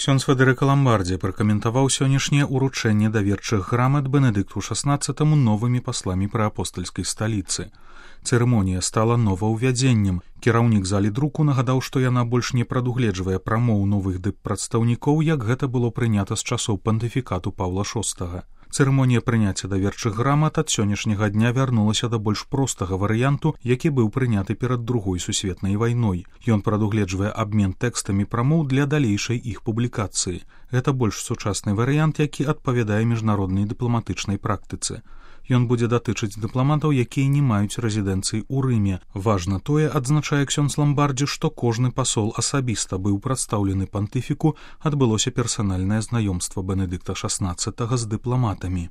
Ксёндз Федэрыка Ламбардзі пракаментаваў сённяшняе ўручэнне даверчых грамат Бенедыкту XVI новымі пасламі пры апостальскай сталіцы. Цырымонія стала новаўвядзеннем. Кіраўнік залі друку нагадаў, што яна больш не прадугледжвае прамоў новых дыппрадстаўнікоў, як гэта было прынята з часоў пантыфікату Паўла VI. Цырымонія прыняцця даверчых грамат ад сённяшняга дня вярнулася да больш простага варыянту, які быў прыняты перад Другой сусветнай вайной. Ён прадугледжвае абмен тэкстамі прамоў для далейшай іх публікацыі. Гэта больш сучасны варыянт, які адпавядае міжнароднай дыпламатычнай практыцы. Ён будзе датычыць дыпламатаў, якія не маюць рэзідэнцыі ў Рыме. Важна тое, адзначае ксёндз Ламбардзі, што кожны пасол асабіста быў прадстаўлены пантыфіку, адбылося персанальнае знаёмства Бенедыкта XVI з дыпламатамі.